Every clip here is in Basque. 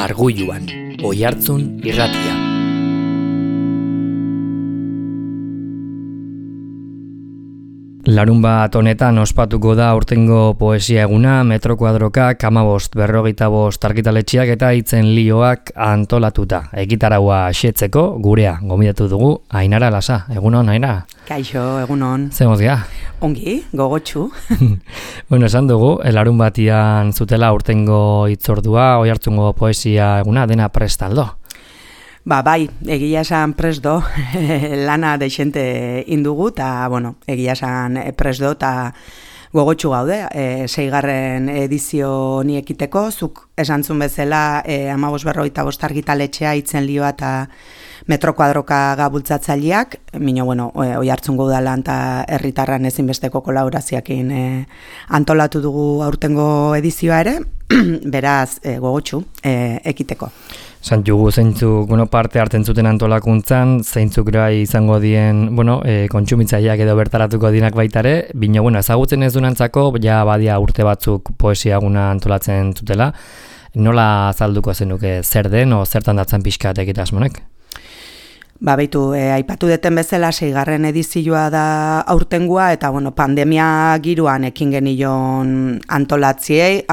Argulluan, Oihartzun irratia. Larunbat honetan ospatuko da aurtengo poesia eguna, metro kuadroka, 15-45 argitaletxeak eta hitzen lioak antolatuta. Ekitaraua xetzeko gurea gomidatu dugu Ainara Lasa. Egunon, Ainara? Kaixo, egunon. Zer mozia? Ongi, gogotsu. Bueno, esan dugu, larunbatian zutela aurtengo hitzordua, Oihartzungo poesia eguna, dena prestaldo. Bai, egia esan presdo, lana deixente indugu, eta, egia esan presdo, eta gogotsu gaude, 6. edizio ni ekiteko, zuk esantzun bezala 15-45 argitaletxea hitzen lioa eta metro kuadroka gabultzatzaileak, Oihartzungo udalan eta herritarran ezinbesteko kolaborazioekin antolatu dugu aurtengo edizioa ere, beraz gogotsu ekiteko. Santugu zeintzuk parte hartzen zuten antolakuntzan, zeintzuk gai izango dien, kontsumitzaileak edo bertaratuko dinak baitare, ezagutzen ez dunantzako, ja badia urte batzuk poesia eguna antolatzen zutela. Nola azalduko zenuke zer den o zertan datzen pixka egitasmonek? Aipatu deten bezala 6. edizioa da aurtengoa eta pandemia giroan ekin genion antolatzeai,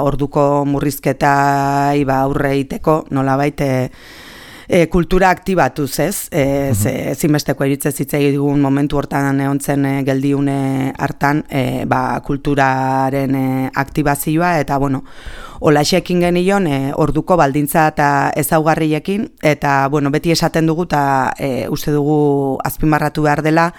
orduko murrizketai aurre iteko, nolabait kultura aktibatuz, ez? Ezinbesteko iritzez hitzei dugun momentu hortan egontzen geldiune hartan, kulturaren aktibazioa eta holaxekin genion orduko baldintza eta ezaugarriekin eta beti esaten dugu eta uste dugu azpimarratu behar dela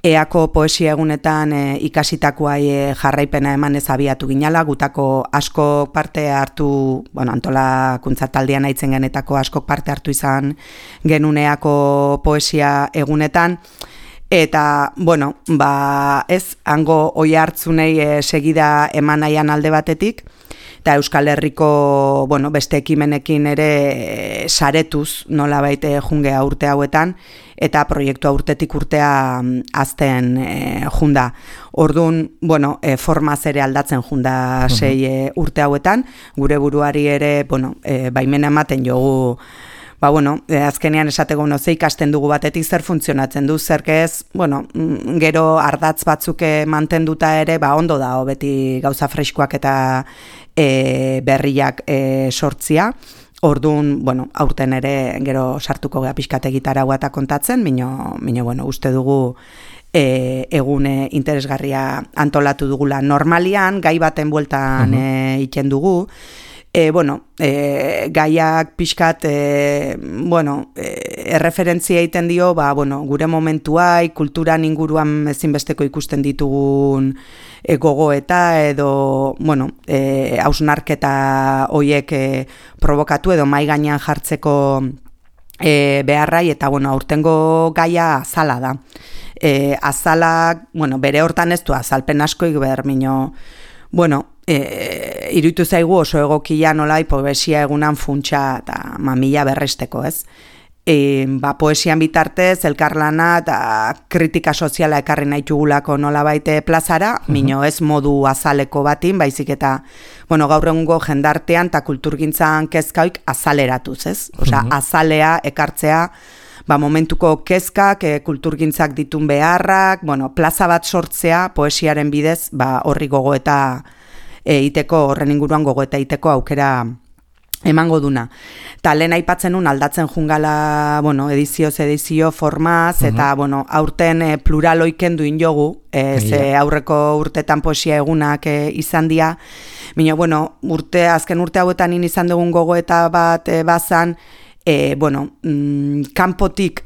eako poesia egunetan ikasitakoai jarraipena eman ez abiatu ginala, gutako askok parte hartu, antolakuntza taldean aitzen genetako askok parte hartu izan genuneako poesia egunetan, eta, ez, hango Oihartzunei segida eman nahian alde batetik, eta Euskal Herriko, beste ekimenekin ere saretuz nolabait jungea urte hauetan, eta proiektua urtetik urtea azten junda. Orduan, formaz ere aldatzen junda 6 urte hauetan, gure buruari ere, baimena ematen jogu, azkenean esateko ze ikasten dugu batetik zer funtzionatzen du, zerkez, gero ardatz batzuk mantenduta ere, ondo da, beti gauza freskoak eta berriak sortzia. Orduan, aurten ere gero sartuko gea pixkate gitaragua eta kontatzen, uste dugu egune interesgarria antolatu dugula. Normalian, gai baten bueltan iten dugu, gaiak pixkat, erreferentzia egiten dio, gure momentuai, kulturan inguruan ezinbesteko ikusten ditugun gogoeta edo, hausnarketa hoiek provokatu edo mai gainean jartzeko beharrai, eta, aurtengo gaia azala da. Azalak, bere hortan ez du azalpen askoik behar, iruditu zaigu oso egokia nolai poesia egunan funtsa eta mamila berresteko, ez? Poesian bitartez, elkarlana eta kritika soziala ekarri nahi txugulako nolabait plazara, ez modu azaleko batin, baizik eta, gaur egungo jendartean eta kulturgintzan kezkaik azaleratuz, ez? Azalea ekartzea, momentuko kezkak, kulturgintzak ditun beharrak, plaza bat sortzea, poesiaren bidez, horri gogoeta horren inguruan gogoeta iteko aukera emango duna. Ta lehen aipatzen nun aldatzen jungala, edizio formaz, eta, aurten pluraloiken duin jogu, ze aurreko urtetan poesia egunak izan dira, azken urte hauetan izan dugun gogoeta bat bazan, kanpotik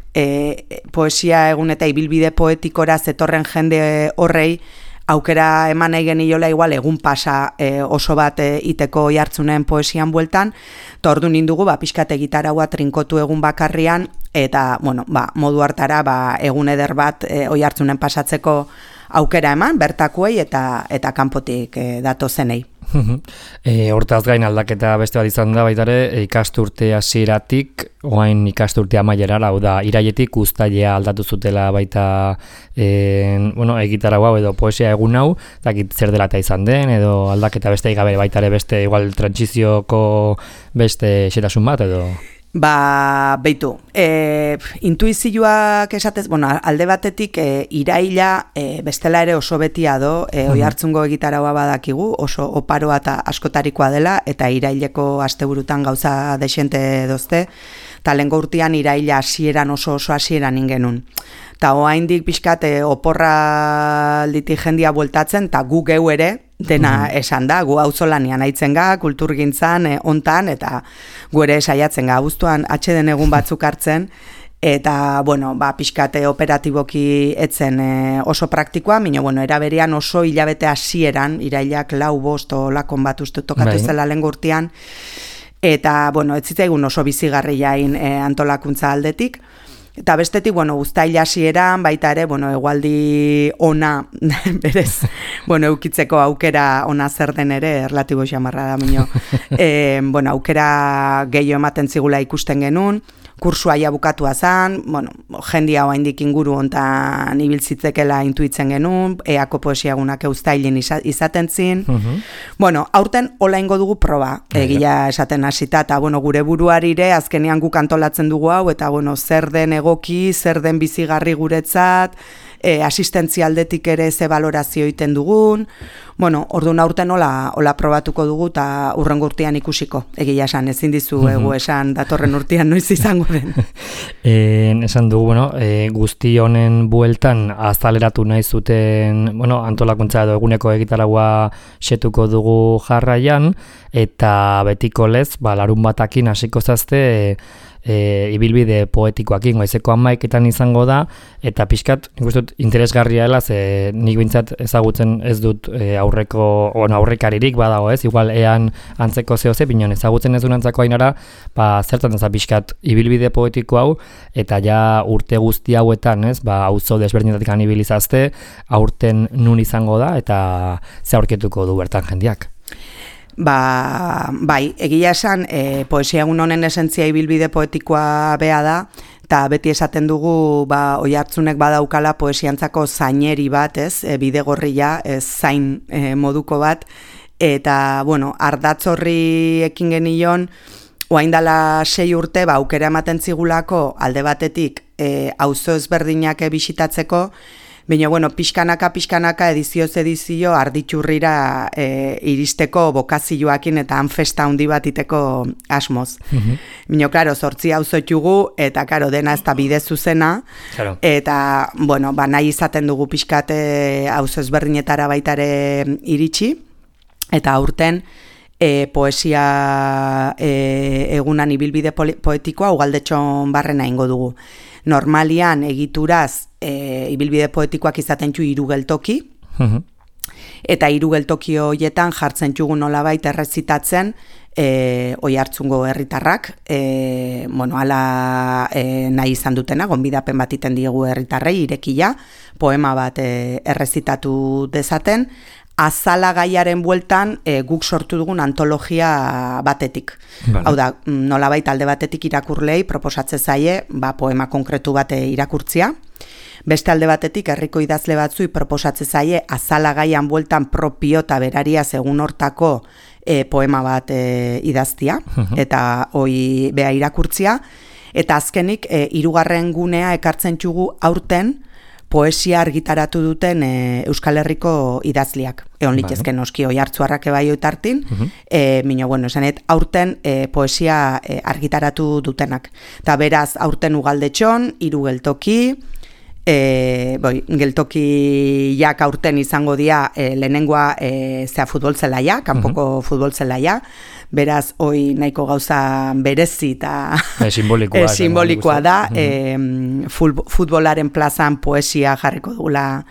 poesia egun eta ibilbide poetikora zetorren jende horrei, aukera eman nahi geniola igual egun pasa oso bat iteko Oihartzunen poesian bueltan, eta orduan indugu pixkate gitaragua trinkotu egun bakarrian, eta modu hartara egun eder bat Oihartzunen pasatzeko aukera eman, bertakuei eta kanpotik datozenei. Hortaz gain aldaketa beste bat izan da baitare, ikasturte hasieratik orain ikasturte amaierara, hau da, irailetik uztailea aldatu zutela baita egitarau hau edo poesia egun hau, dakit zer dela eta izan den, edo aldaketa beste gabe baitare beste igual trantsizioko beste xetasun bat edo... Beitu, intuizioak esatez, alde batetik iraila bestela ere oso betia do, Oihartzungo egitaraua badakigu, oso oparoa eta askotarikoa dela, eta iraileko asteburutan gauza desente dozte, eta lehengo urtean iraila hasieran oso hasieran ingenun. Eta oraindik pixkat oporra alditik jendia bueltatzen, eta gu geu ere, dena esan da, gu auzolanian aitzen ga, kulturgintzan, ontan, eta gu ere saiatzen ga, abuztuan atxeden egun batzuk hartzen, eta, pixkate operatiboki etzen oso praktikoa, era berean oso hilabete hasieran, irailak 4-5 olakon bat uste tokatu zela lehengo urtean, eta, ez zitzaigun oso bizigarriain antolakuntza aldetik, eta bestetik, uztaila hasieran baita ere, egualdi ona, berez, eukitzeko aukera ona zer den ere, erlatibo xamarra da, aukera gehiago ematen zigula ikusten genuen, kursua ja bukatua zan, jendia oraindik inguru hontan ibiltzitzekela intuitzen genuen, eako poesiagunak uztailin izaten zin. Aurten hola ingo dugu proba, egia esaten hasita, eta gure buruarire azkenean guk antolatzen dugu hau, eta zer den egoki, zer den bizigarri guretzat, asistentzia aldetik ere ze valorazio egiten dugun, orduan aurten hola probatuko dugu eta hurrengo urtean ikusiko, egia esan, ezin dizu egu esan datorren urtean noiz izango den. Esan dugu, guzti honen bueltan azaleratu nahi zuten, antolakuntza edo eguneko egitaraua xetuko dugu jarraian, eta betiko lez, larun batakin hasiko zazte, ibilbide poetikoakin, goizeko 11etan izango da, eta pixkat, nik uste dut, interesgarria dela, ze nik bintzat ezagutzen ez dut aurrekaririk badago ez, igual ean antzeko zehoze, bineon ezagutzen ez duen antzako ainara, zertan ez pixkat ibilbide poetiko hau, eta ja urte guzti hauetan, ez, auzo desberdinetatik anibilizazte, aurten nun izango da, eta ze aurketuko du bertan jendiak. Bai, egia esan, poesia egun honen esentzia ibilbide poetikoa bea da, eta beti esaten dugu Oihartzunek badaukala poesiantzako zaineri bat, ez, bidegorria, zain moduko bat, eta, ardatz horri ekin genion, orain dela 6 urte, aukera ematen zigulako alde batetik auzo ezberdinak bisitatzeko, baina, pixkanaka, edizio arditxurrira iristeko bokazioakin eta han festa handi bat iteko asmoz. Baina, klaro, 8 auzo txugu, eta, klaro, dena ez da bide zuzena, eta, nahi izaten dugu pixkate auzo ezberdinetara baitare iritsi, eta aurten, poesia egunan ibilbide poetikoa ugaldetxon barrena ingo dugu. Normalian egituraz ibilbide poetikoak izaten txu 3 geltoki, eta 3 geltoki horietan jartzen txugu nolabait errezitatzen Oihartzungo herritarrak, hala nahi izan dutena, gonbidapen bat iten diegu herritarrei irekia, poema bat errezitatu dezaten, azala gaiaren bueltan guk sortu dugun antologia batetik. Hau da, nolabait alde batetik irakurlei proposatze zaie poema konkretu bat irakurtzia. Beste alde batetik herriko idazle batzui proposatze zaie azala gaian bueltan propio eta beraria segun hortako poema bat idaztia, eta hoi bea irakurtzia. Eta azkenik, 3. gunea ekartzen txugu aurten, poesia argitaratu duten Euskal Herriko idazliak. Egon litzezken noski Oihartzuarrak bai oitartin, esanet, aurten poesia argitaratu dutenak. Eta beraz, aurten ugaldetxon, 3 geltoki, geltokiak aurten izango dira lehenengoa futbol zelaia, kanpoko futbol zelaia, beraz, hoi nahiko gauza berezi eta simbolikoa da, futbolaren plazan poesia jarriko dugula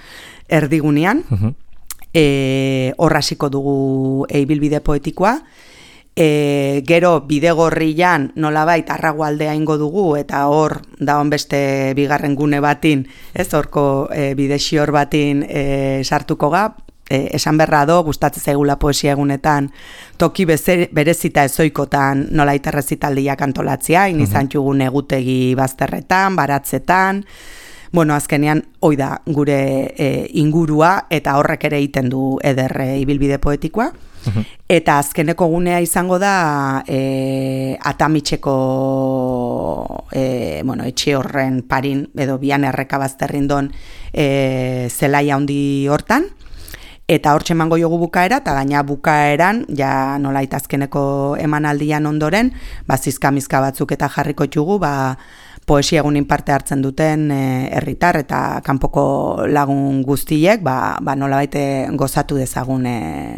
erdigunean, hor hasiko dugu ibilbide poetikoa, gero bidegorrian nolabait Arragualdea ingo dugu, eta hor daon beste 2. gune batin, ez horko bidexior batin sartuko ga, esan berra do, gustatzen zaigula poesia egunetan, toki berezita ezoikotan nola errezitaldiak antolatzea, izan txugun egutegi bazterretan, baratzetan, bueno, azkenean, hoi da gure ingurua, eta horrek ere egiten du eder ibilbide poetikoa. Eta azkeneko gunea izango da Atamitxeko etxe horren parin, edo bian erreka bazterrindon zelaia handi hortan. Eta hortxe emango jogu bukaera, eta gaina bukaeran, ja nolait azkeneko emanaldian ondoren, zizkamizka batzuk eta jarriko txugu, poesia egunin parte hartzen duten herritar eta kanpoko lagun guztiek nolabait gozatu dezagun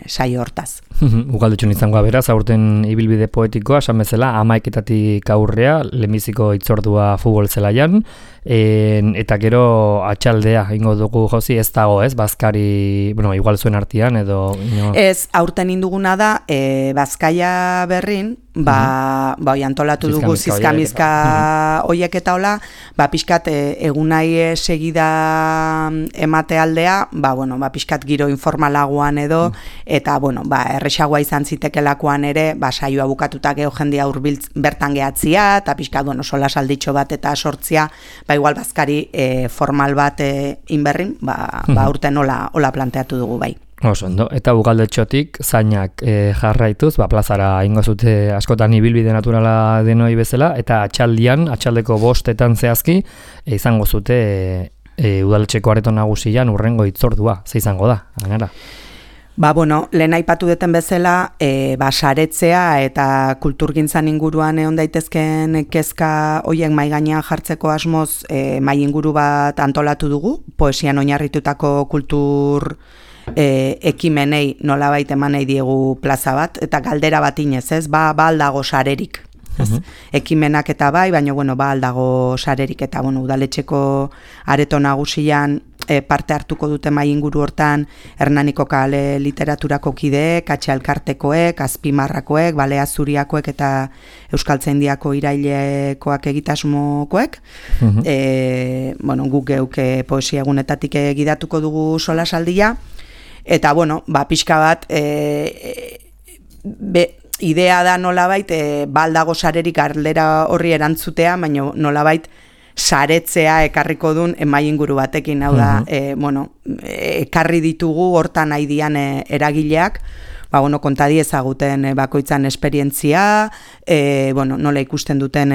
saio hortaz. Ugaldetxun izangoa beraz, aurten ibilbide poetikoa, esan bezala, 11:00 aurrea, lehenbiziko hitzordua futbol zelaian, eta gero atxaldea, ingo dugu Josi, ez dago, ez? Bazkari, igual zuen artean, edo... Ez, aurten induguna da, Bazkaia berrin, antolatu dugu zizkamizka hoiek eta hola, pixkat egunai segida emate aldea, pixkat giro informalagoan edo, eta, erresagoa izan zitekelakoan ere, saioa bukatuta geho jendia hurbiltz bertan gehatzia, eta pixkat, sola salditxo bat eta sortzia, igual bazkari formal bat inberrin, urten hola planteatu dugu bai. Ondo, eta Ugaldetxotik zainak jarraituz, plazara ingo zute askotan ibilbide naturala denoi bezala, eta atxaldeko 5:00 zehazki, izango zute Udaletxeko areto nagusian urrengo hitzordua, ze izango da, gainera? Lehen aipatu duten bezala, saretzea eta kulturgintzan inguruan egon daitezken kezka hoiek mahai gainean jartzeko asmoz mahai inguru bat antolatu dugu, poesian oinarritutako kultur ekimenei nolabait eman nahi diegu plaza bat, eta galdera bat inez, ez? Aldago sarerik. Ekimenak eta baina aldago sarerik, eta Udaletxeko areto nagusian parte hartuko dute mahai inguru hortan Hernaniko kale literaturako kideek, Atxalkartekoek, Azpimarrakoek, Balea Zuriakoek eta Euskaltzaindiako irailekoak egitasmokoek. Guk geuk poesia egunetatik gidatuko dugu solasaldia, eta pixka bat idea da nolabait baldago sarerik galdera horri erantzutea, baina nolabait saretzea ekarriko duen mahai inguru batekin, hau da, ekarri ditugu hortan nahi dian eragileak, kontadi ezaguten bakoitzan esperientzia, nola ikusten duten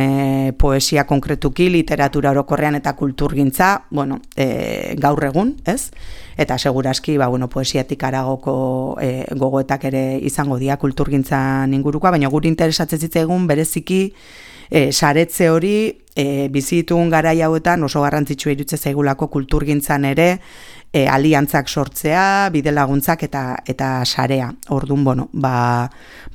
poesia konkretuki, literatura orokorrean eta kulturgintza, gaur egun, ez? Eta seguraski, poesiatik aragoko gogoetak ere izango dira kulturgintzan ingurukoa, baina guri interesatzen zitzaigun bereziki saretze hori bizitugun garai hauetan oso garrantzitsua iruditzen zaigulako kulturgintzan ere aliantzak sortzea, bidelaguntzak eta sarea. Orduan,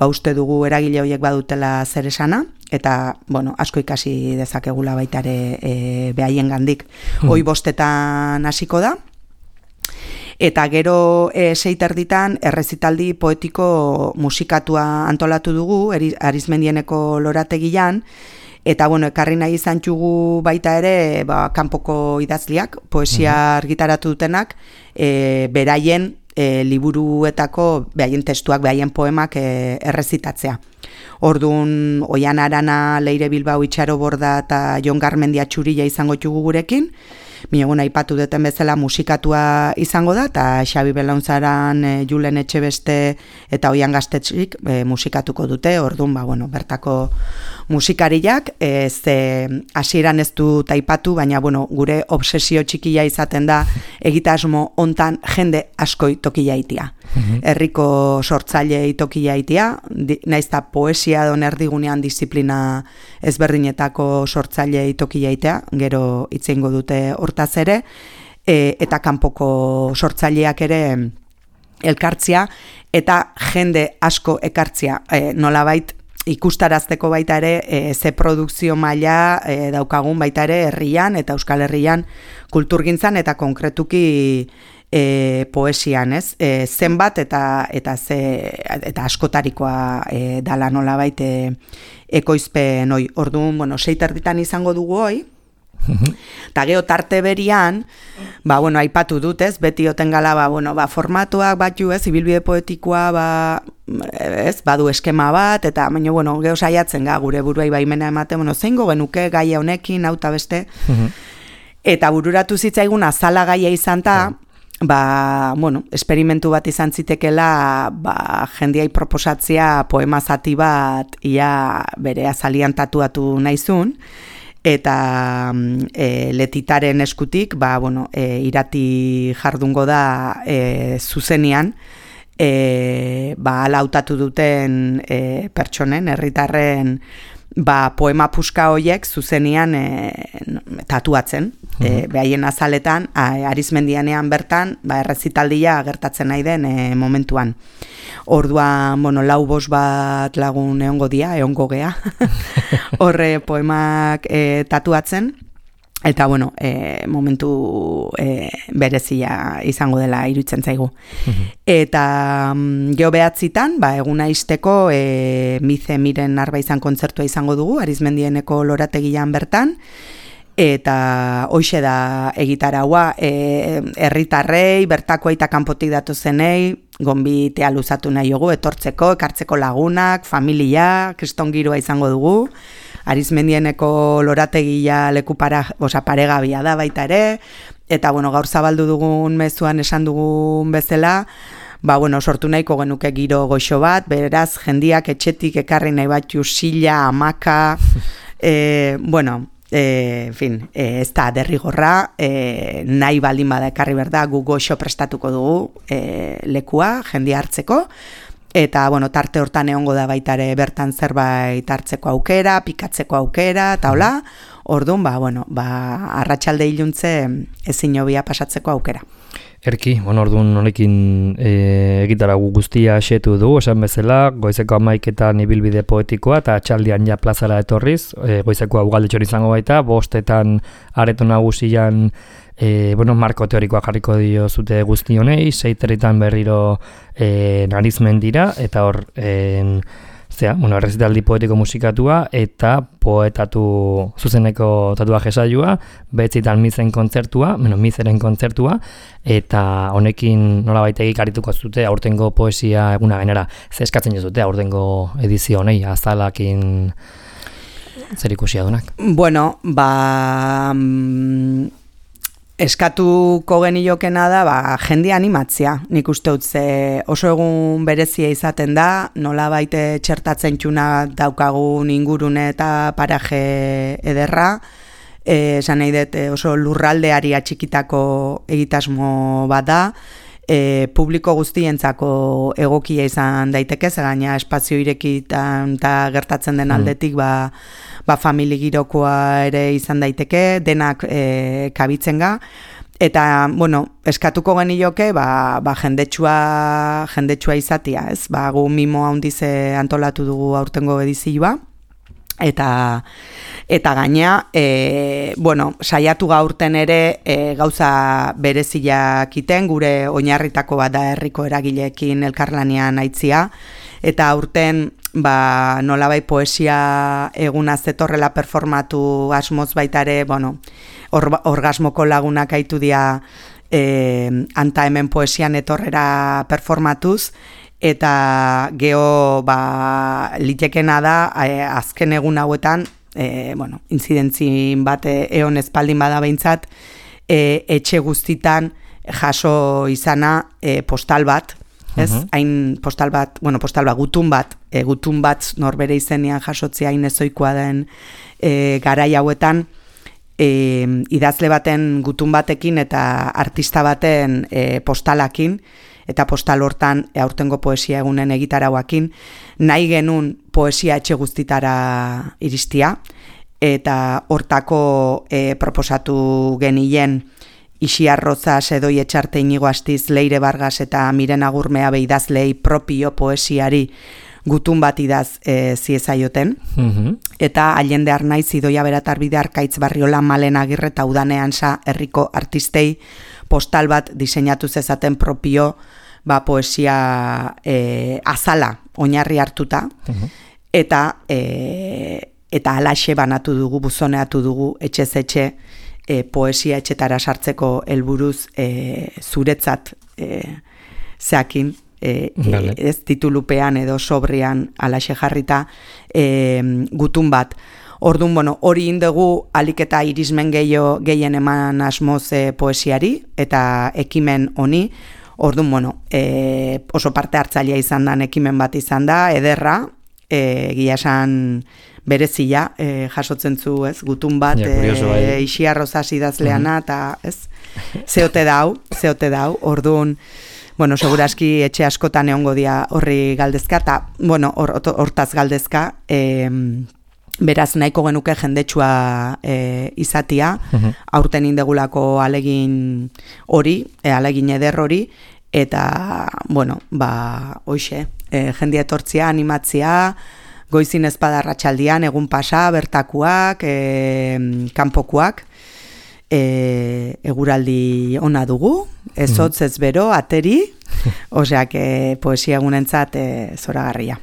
uste dugu eragile horiek badutela zer esana, eta, asko ikasi dezakegula baita ere behaien gandik. Hoi 5:00 hasiko da, eta gero 6:00 errezitaldi poetiko musikatua antolatu dugu, Arizmendieneko lorategian, eta ekarri nahi izan txugu baita ere kanpoko idazliak, poesia argitaratu dutenak, beraien liburuetako, behaien testuak, behaien poemak errezitatzea. Orduan, Oian Arana, Leire Bilbao, Itxaro Borda eta Jon Garmendia Txurilla izango txugu gurekin, Minegun aipatu duten bezala musikatua izango da, eta Xabi Belaunzaran, Julen Etxebeste eta Oian Gaztetxik musikatuko dute, orduan, bertako musikariak, hasieran ez dut aipatu, baina, gure obsesio txikia izaten da, egitasmo hontan jende askoi tokia itia. Herriko sortzaile tokia itia, naizta poesia don erdigunean disiplina ezberdinetako sortzaile tokia itea, gero itzeingo dute hortaz ere, eta kanpoko sortzaileak ere elkartzia, eta jende asko ekartzia, nolabait ikustarazteko baita ere ze produkzio maila daukagun baita ere herrian eta Euskal Herrian kulturgintzan eta konkretuki poesian, ez? Zenbat eta askotarikoa dala nolabait ekoizpen hoi. Orduan, 6:00 izango dugu hoi, Eta geho tarte berian, bueno, aipatu dut ez, beti oten gala, formatuak batu ez, ibilbide poetikoa, badu eskema bat, eta baina, geho saiatzen gure buruai baimena ematen, zeingo genuke gaia honekin, hau eta beste, eta bururatu zitzaigun azala gaia izan ta, esperimentu bat izan zitekela, jendiai proposatzea poema zati bat, ia bere azalian tatuatu nahizun, eta Letitaren eskutik, irati jardungo da zuzenian, ala hautatu duten pertsonen, herritarren, poema puska horiek zuzenian tatuatzen. Behaien azaletan, Arizmendianean bertan, errezitaldia gertatzen nahi den momentuan. Orduan, 4-5 bat lagun egongo gea, horre poemak tatuatzen, eta, momentu berezia izango dela iruditzen zaigu. Eta geho behatzitan, eguna izteko Mize Miren Arbaizan kontzertua izango dugu, Arizmendieneko lorategian bertan, eta hoxe da egitaraua, herritarrei, bertako eta kanpotik datozenei, gonbitea luzatu nahi dugu, etortzeko, ekartzeko lagunak, familia, kriston giroa izango dugu, Arizmendieneko lorategia leku paregabia da baita ere, eta gaur zabaldu dugun mezuan esan dugun bezala, sortu nahiko genuke giro goxo bat, beraz, jendiak etxetik ekarri nahi batzu sila, hamaka, ez da derrigorra, nahi baldin bada ekarri berda, gu goxo prestatuko dugu lekua, jendia hartzeko, eta tarte hortan egongo da baitare bertan zerbait hartzeko aukera, pikatzeko aukera, eta hola, orduan, arratsalde iluntze ezin hobia pasatzeko aukera. Erki, orduan honekin egitaragu guztia xetu du, esan bezala, goizeko 11etan ibilbide poetikoa eta txaldian ja plazara etorriz, goizeko Ugaldetxon izango baita, 5etan areto nagusian marko teorikoa jarriko dio zute guzti honei, 6etan berriro Arizmendira, eta hor errezitaldi poetiko musikatua eta poetatu zuzeneko tatuaje saioa, 9etan Mizen kontzertua, Mizeren kontzertua, eta honekin nolabait egikarituko zute aurtengo poesia eguna gainera. Ze eskatzen jozute aurtengo edizio honei, azalakin zer ikusia dunak? Eskatuko geniokena da, jende animatzea, nik uste dut oso egun berezia izaten da, nolabait txertatzen txuna daukagun ingurune eta paraje ederra, esan nahi dut oso lurraldeari atxikitako egitasmo bat da, publiko guztientzako egokia izan daiteke, gaina espazio irekitan eta gertatzen den aldetik famili girokoa ere izan daiteke, denak kabitzen ga, eta, eskatuko genioke, jendetsua izatea, ez? Gu mimo handiz antolatu dugu aurtengo edizioa, eta gaina, saiatu gaurten ere gauza bereziak iten, gure oinarritako bat da herriko eragileekin elkarlanean aitzia, eta aurten nolabait poesia eguna zetorrela performatu asmoz baita ere, orgasmoko lagunak aitu dira anta hemen poesian etorrera performatuz, eta geho litekena da azken egun hauetan, inzidentzin bat eon espaldin bada behintzat, etxe guztitan jaso izana postal bat, ez? Hain postal bat, gutun bat norbere izenean jasotzea hain ezoikoa den garai hauetan, idazle baten gutun batekin eta artista baten postalakin, eta postal hortan aurtengo poesia egunen egitarauakin, nahi genuen poesia etxe guztitara iristia, eta hortako proposatu genien Ixi Arroza, Sedoi Etxarte, Inigo Astiz, Leire Vargas eta Miren Agurmea beidazlei propio poesiari gutun bat idaz ziezaioten. Eta Allende Arnaiz, Idoia Beratarbide, Arkaitz Barriola, Malen Agirre eta Udanean sa herriko artistei postal bat diseinatu zezaten propio poesia azala oinarri hartuta. Eta eta alaxe banatu dugu, buzoneatu dugu, etxez etxe, poesia etxetara sartzeko helburuz zuretzat zeakin, ez titulupean edo sobrian alaxe jarrita gutun bat. Orduan, hori indegu alik eta irismen gehien eman asmoz poesiari eta ekimen honi. Orduan, oso parte hartzailea izan da, ekimen bat izan da, ederra, egia esan berezia, jasotzen zu, ez, gutun bat, Ixiarrozaz idazleana, eta, ez, zeote dau, orduan, seguraski etxe askotan egongo dia horri galdezka, eta, hortaz galdezka, beraz nahiko genuke jendetsua izatia, aurten indegulako alegin hori, alegin eder hori, eta, hoxe, jendia etortzia, animatzia, goizin ezpada arratsaldian, egun pasa, bertakuak, kanpokuak, eguraldi ona dugu, ez hotz ez bero, ateri, oseak poesia egunentzat zoragarria.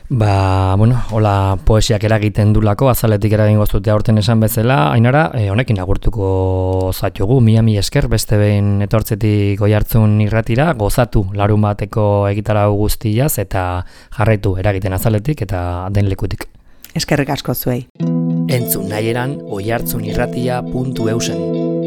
Hola poesiak eragiten dulako, azaletik eragin goztutea aurten esan bezala, Ainara, honekin agurtuko zatugu, mila esker, beste behin etortzetik Oihartzun irratira, gozatu larun bateko egitarau guztiaz, eta jarraitu eragiten azaletik eta den lekutik. Eskerrik asko zuei. Entzun nahieran oihartzunirratia.eusen.